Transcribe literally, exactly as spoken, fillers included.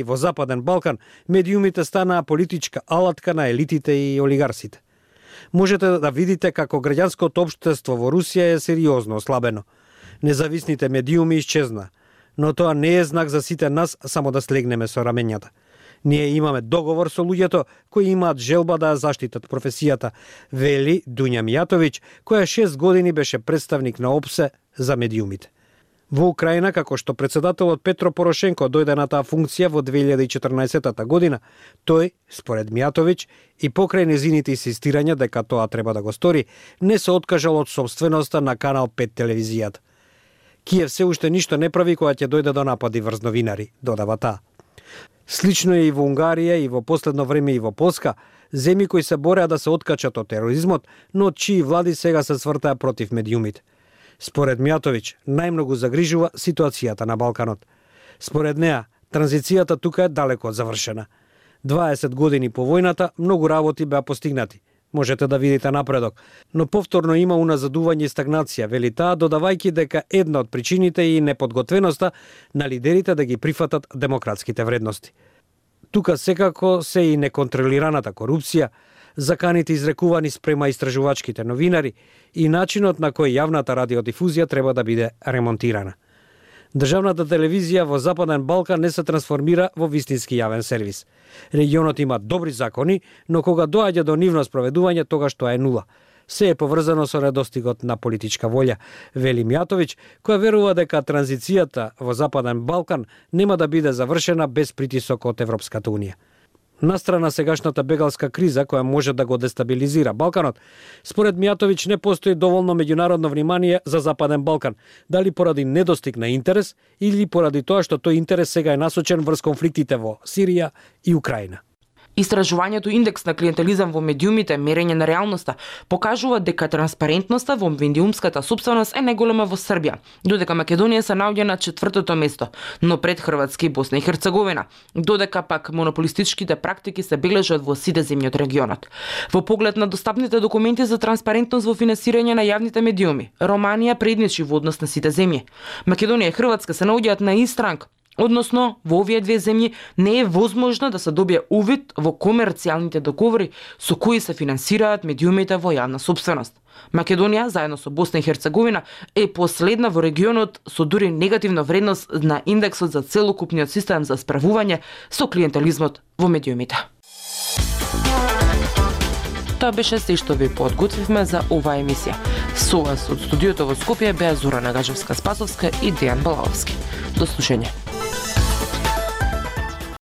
И во Западен Балкан медиумите станаа политичка алатка на елитите и олигарсите. Можете да видите како граѓанското општество во Русија е сериозно ослабено. Независните медиуми исчезна, но тоа не е знак за сите нас само да слегнеме со рамењата. Ние имаме договор со луѓето кои имаат желба да ја заштитат професијата, вели Дуња Мијатовиќ, која шест години беше представник на ОПСЕ за медиумите. Во Украина, како што председателот Петро Порошенко дојде на таа функција во две илјади и четрнаесетта година, тој, според Мијатовиќ, и покрај незините инсистирања дека тоа треба да го стори, не се откажал од собственоста на Канал пет телевизијата. Киев се уште ништо не прави кога ќе дојде до напади врз новинари, додава таа. Слично е и во Унгарија и во последно време и во Полска, земји кои се бореа да се откачат од тероризмот, но од чии влади сега се свртаа против медиумите. Според Мијатовиќ, најмногу загрижува ситуацијата на Балканот. Според неа, транзицијата тука е далеко од завршена. дваесет години по војната, многу работи беа постигнати. Можете да видите напредок, но повторно има уназадување и стагнација, вели таа, додавајќи дека една од причините е и неподготвеноста на лидерите да ги прифатат демократските вредности. Тука секако се и неконтролираната корупција, заканите изрекувани спрема истражувачките новинари и начинот на кој јавната радиодифузија треба да биде ремонтирана. Државната телевизија во Западен Балкан не се трансформира во вистински јавен сервис. Регионот има добри закони, но кога доаѓа до нивно спроведување, тогаш тоа е нула. Се е поврзано со недостигот на политичка волја, вели Мијатовиќ, која верува дека транзицијата во Западен Балкан нема да биде завршена без притисок од Европската унија. Настрана сегашната бегалска криза која може да го дестабилизира Балканот, според Мијатовиќ не постои доволно меѓународно внимание за Западен Балкан, дали поради недостиг на интерес или поради тоа што тој интерес сега е насочен врз конфликтите во Сирија и Украина. Истражувањето индекс на клиентелизам во медиумите, мерење на реалноста, покажува дека транспарентноста во медиумската сопственост е најголема во Србија, додека Македонија се наоѓа на четвртото место, но пред Хрватска и Босна и Херцеговина, додека пак монополистичките практики се бележат во сите земји од регионот. Во поглед на достапните документи за транспарентност во финансирање на јавните медиуми, Романија предничи во однос на сите земји. Македонија и Хрватска се наоѓаат на ист ранг. Односно, во овие две земји не е возможно да се добие увид во комерцијалните договори со кои се финансираат медиумите во јавна сопственост. Македонија, заедно со Босна и Херцеговина, е последна во регионот со дури негативна вредност на индексот за целокупниот систем за справување со клиентелизмот во медиумите. Тоа беше се што ви подготвивме за оваа емисија. Со вас од студиото во Скопје беа Зора Нагажевска-Спасовска и Дејан Балаовски. До слушање.